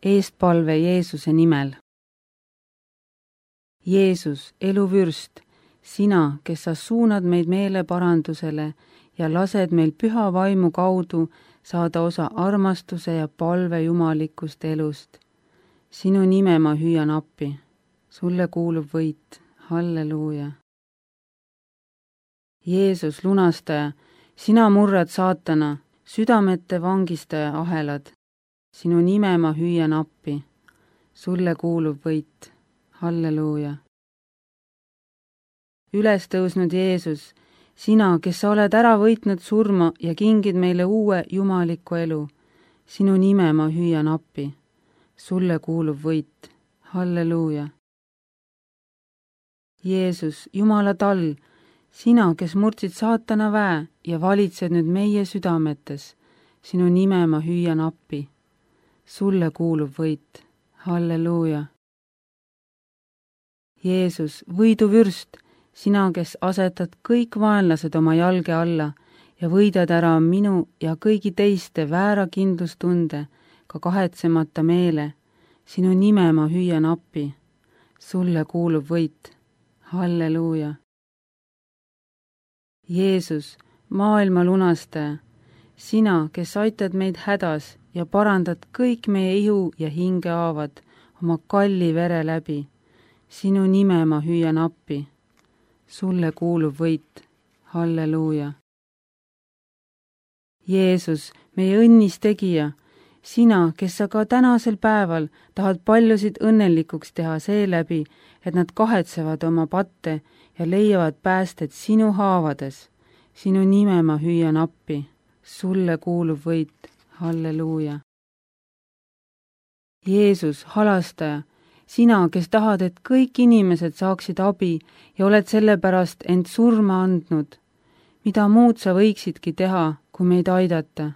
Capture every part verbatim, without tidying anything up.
eestpalve Jeesuse nimel. Jeesus, eluvürst, sina, kes sa suunad meid meeleparandusele ja lased meil püha vaimu kaudu saada osa armastuse ja palve jumalikust elust. Sinu nime ma hüüan appi, sulle kuulub võit, halleluuja. Jeesus, lunastaja, sina murrad saatana, südamete vangistaja ahelad. Sinu nime ma hüüan appi, sulle kuulub võit, halleluuja. Üles tõusnud Jeesus, sina, kes sa oled ära võitnud surma ja kingid meile uue jumaliku elu, sinu nime ma hüüan appi, sulle kuulub võit, halleluuja. Jeesus, Jumala tall, sina, kes murdsid saatana väe ja valitsed nüüd meie südametes, sinu nime ma hüüan appi, sulle kuulub võit, halleluuja. Jeesus, võiduvürst, sina, kes asetad kõik vaenlased oma jalge alla ja võidad ära minu ja kõigi teiste väära kindlustunde, ka kahetsemata meele, sinu nime ma hüüan appi, sulle kuulub võit, halleluuja. Jeesus, maailma lunastaja, sina, kes aitad meid hädas ja parandad kõik meie ihu ja hinge haavad oma kalli vere läbi, sinu nime ma hüüan appi, sulle kuulub võit, halleluuja. Jeesus, meie õnnis tegija, sina, kes sa ka tänasel päeval tahad paljusid õnnelikuks teha seeläbi, et nad kahetsevad oma patte ja leiavad päästet sinu haavades, sinu nime ma hüüan appi, sulle kuulub võit, halleluuja. Jeesus, halastaja, sina, kes tahad, et kõik inimesed saaksid abi ja oled sellepärast end surma andnud, mida muud sa võiksidki teha, kui meid aidata.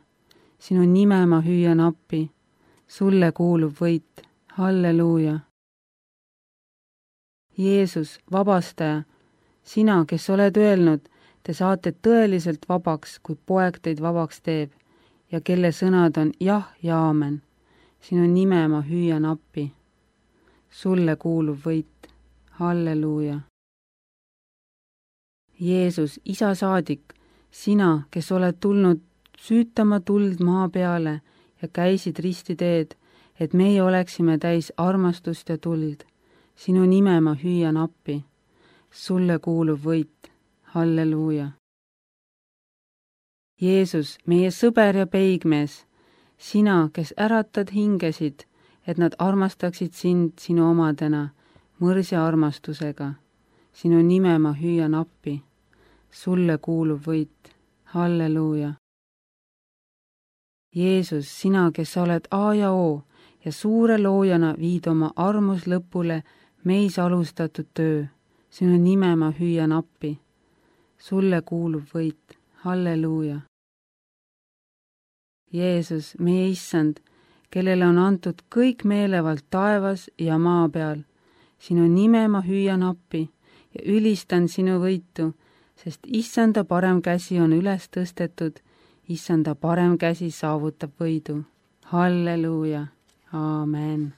Sinu nime ma hüüan appi, sulle kuulub võit, halleluuja. Jeesus, vabastaja, sina, kes oled öelnud, te saate tõeliselt vabaks, kui poeg teid vabaks teeb ja kelle sõnad on jah ja aamen. Sinu nime ma hüüan appi, sulle kuulub võit, halleluuja. Jeesus, isa saadik, sina, kes oled tulnud süütama tuld maa peale ja käisid ristiteed, et meie oleksime täis armastust ja tuld. Sinu nime ma hüüan appi, sulle kuulub võit, halleluuja. Jeesus, meie sõber ja peigmees, sina, kes äratad hingesid, et nad armastaksid sind sinu omadena, mõrsja armastusega. Sinu nime ma hüüan appi, sulle kuulub võit, halleluuja. Jeesus, sina, kes sa oled A ja O ja suure loojana viid oma armus lõpule meis alustatud töö, sinu nime ma hüüan appi, sulle kuulub võit, halleluuja. Jeesus, meie issand, kellele on antud kõik meelevald taevas ja maa peal, sinu nime ma hüüan appi ja ülistan sinu võitu, sest issanda parem käsi on üles tõstetud, issanda parem käsi saavutab võidu. Halleluuja, aamen.